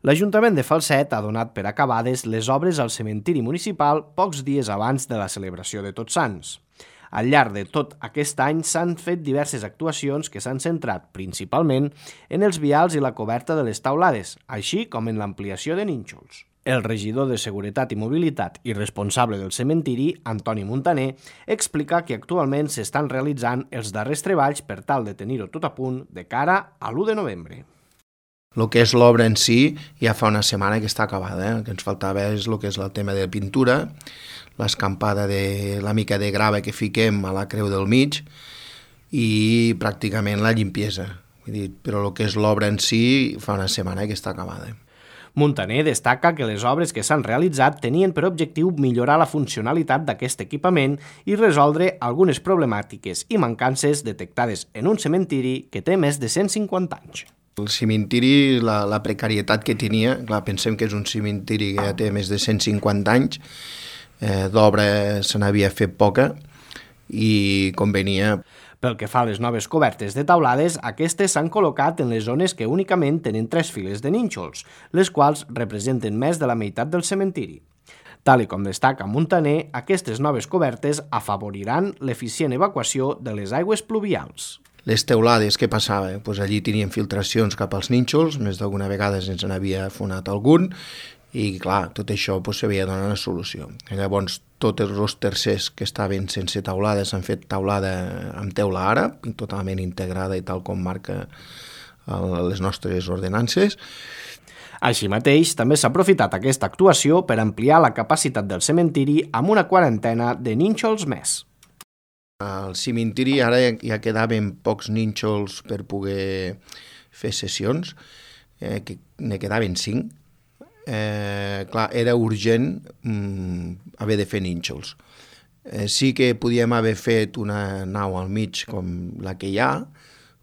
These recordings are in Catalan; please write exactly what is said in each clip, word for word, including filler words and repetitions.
L'Ajuntament de Falset ha donat per acabades les obres al cementiri municipal pocs dies abans de la celebració de Tots Sants. Al llarg de tot aquest any s'han fet diverses actuacions que s'han centrat principalment en els vials i la coberta de les taulades, així com en l'ampliació de nínxols. El regidor de Seguretat i Mobilitat i responsable del cementiri, Antoni Muntaner, explica que actualment s'estan realitzant els darrers treballs per tal de tenir-ho tot a punt de cara a l'u de novembre. El que és l'obra en si ja fa una setmana que està acabada. Eh? El que ens faltava és el que és el tema de pintura, l'escampada de la mica de grava que fiquem a la creu del mig i pràcticament la limpiesa. Vull dir, però el que és l'obra en si fa una setmana que està acabada. Muntaner destaca que les obres que s'han realitzat tenien per objectiu millorar la funcionalitat d'aquest equipament i resoldre algunes problemàtiques i mancances detectades en un cementiri que té més de cent cinquanta anys. El cementiri, la, la precarietat que tenia, clar, pensem que és un cementiri que ja té més de cent cinquanta anys, eh, d'obra se n'havia fet poca i convenia. Pel que fa a les noves cobertes de taulades, aquestes s'han col·locat en les zones que únicament tenen tres files de nínxols, les quals representen més de la meitat del cementiri. Tal i com destaca Muntaner, aquestes noves cobertes afavoriran l'eficient evacuació de les aigües pluvials. Les teulades, què passava? Pues allí tenien filtracions cap als nínxols, més d'alguna vegada ens n'havia fonat algun, i clar, tot això pues, s'havia de donar una solució. I llavors, tots els tercers que estaven sense taulada s'han fet taulada amb teula àrab, totalment integrada i tal com marca el, les nostres ordenances. Així mateix, també s'ha aprofitat aquesta actuació per ampliar la capacitat del cementiri amb una quarantena de nínxols més. Al cementiri ara ja quedaven pocs nínxols per poder fer sessions, eh, que ne quedaven cinc. Eh, clar, era urgent mm, haver de fer nínxols. Eh, sí que podíem haver fet una nau al mig com la que hi ha,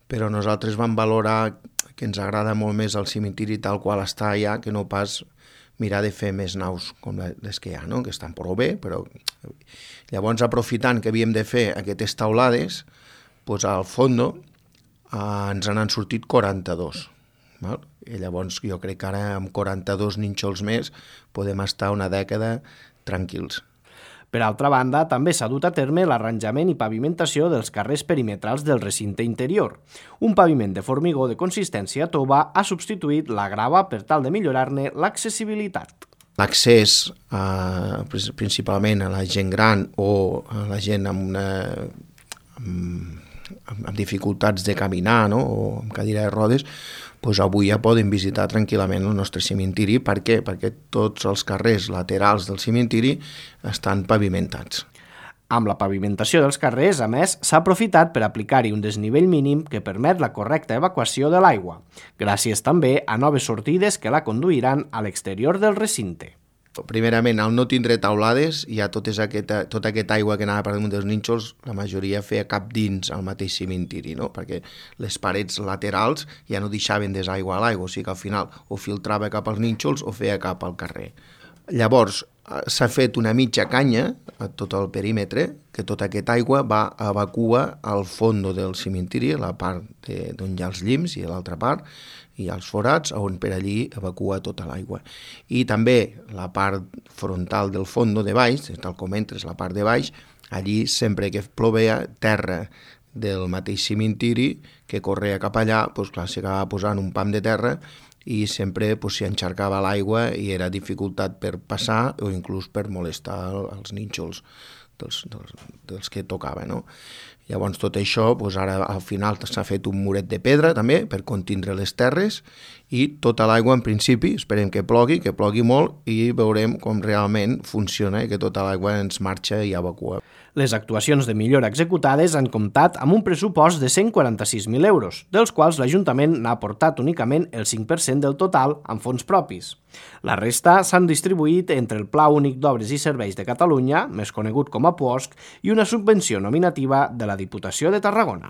però nosaltres vam valorar que ens agrada molt més el cementiri tal qual està allà que no pas mirar de fer més naus com les que hi ha, no? Que estan prou bé, però llavors aprofitant que havíem de fer aquestes taulades, doncs al fons eh, ens n'han sortit quaranta-dos. Val? I llavors jo crec que ara amb quaranta-dos nínxols més podem estar una dècada tranquils. Per altra banda, també s'ha dut a terme l'arranjament i pavimentació dels carrers perimetrals del recinte interior. Un paviment de formigó de consistència tova ha substituït la grava per tal de millorar-ne l'accessibilitat. L'accés eh, principalment a la gent gran o a la gent amb, una, amb, amb dificultats de caminar, no? O amb cadira de rodes, doncs avui ja poden visitar tranquil·lament el nostre cementiri. Per què? Perquè tots els carrers laterals del cementiri estan pavimentats. Amb la pavimentació dels carrers, a més, s'ha aprofitat per aplicar-hi un desnivell mínim que permet la correcta evacuació de l'aigua, gràcies també a noves sortides que la conduiran a l'exterior del recinte. Primerament, al no tindre taulades, ja tot aquesta, tota aquesta aigua que anava per damunt dels nínxols, la majoria feia cap dins al mateix cementiri, no? Perquè les parets laterals ja no deixaven desaigua a l'aigua, o sigui que al final o filtrava cap als nínxols o feia cap al carrer. Llavors, s'ha fet una mitja canya a tot el perímetre, que tota aquesta aigua va evacua al fons del cementiri, a la part de, d'on hi ha els llims i a l'altra part, hi ha els forats, on per allí evacua tota l'aigua. I també la part frontal del fons de baix, tal com entres la part de baix, allí sempre que plovia terra del mateix cementiri que corria cap allà, doncs clar, s'acabava posant un pam de terra i sempre s'hi encharcava l'aigua i era dificultat per passar o inclús per molestar els nínxols dels, dels, dels que tocava, no? Llavors tot això, doncs ara al final s'ha fet un muret de pedra també per contindre les terres i tota l'aigua en principi, esperem que plogui, que plogui molt i veurem com realment funciona i que tota l'aigua ens marxa i evacua. Les actuacions de millora executades han comptat amb un pressupost de cent quaranta-sis mil euros, dels quals l'Ajuntament n'ha aportat únicament el cinc per cent del total amb fons propis. La resta s'han distribuït entre el Pla Únic d'Obres i Serveis de Catalunya, més conegut com a P U O S C, i una subvenció nominativa de la Diputació de Tarragona.